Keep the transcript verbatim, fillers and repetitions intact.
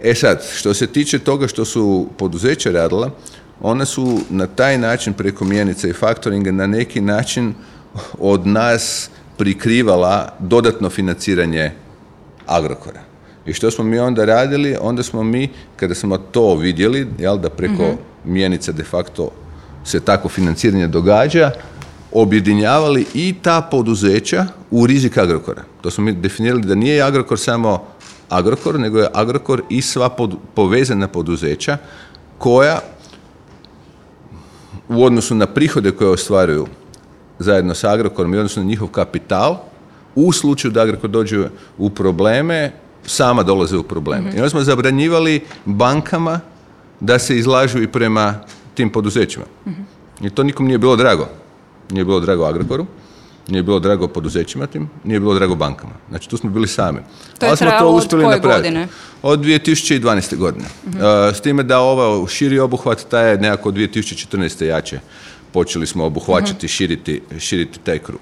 E sad, što se tiče toga što su poduzeća radila, ona su na taj način preko mjenica i faktoringa na neki način od nas prikrivala dodatno financiranje Agrokora. I što smo mi onda radili? Onda smo mi, kada smo to vidjeli, jel, da preko mm-hmm. mjenica de facto se tako financiranje događa, objedinjavali i ta poduzeća u rizik Agrokora. To smo mi definirali da nije Agrokor samo Agrokor, nego je Agrokor i sva pod, povezana poduzeća koja u odnosu na prihode koje ostvaruju zajedno sa Agrokorom i odnosno na njihov kapital, u slučaju da Agrokor dođe u probleme, sama dolaze u probleme. Mm-hmm. I onda smo zabranjivali bankama da se izlažu i prema tim poduzećima. Mm-hmm. I to nikom nije bilo drago. Nije bilo drago Agrokoru, nije bilo drago poduzećima tim, nije bilo drago bankama. Znači, tu smo bili sami. To je trajalo od koje godine? Od dvije tisuće dvanaeste. godine. Mm-hmm. Uh, s time da ovaj širi obuhvat, taj je nekako dvije tisuće četrnaeste. jače. Počeli smo obuhvaćati, mm-hmm. širiti, širiti taj krug.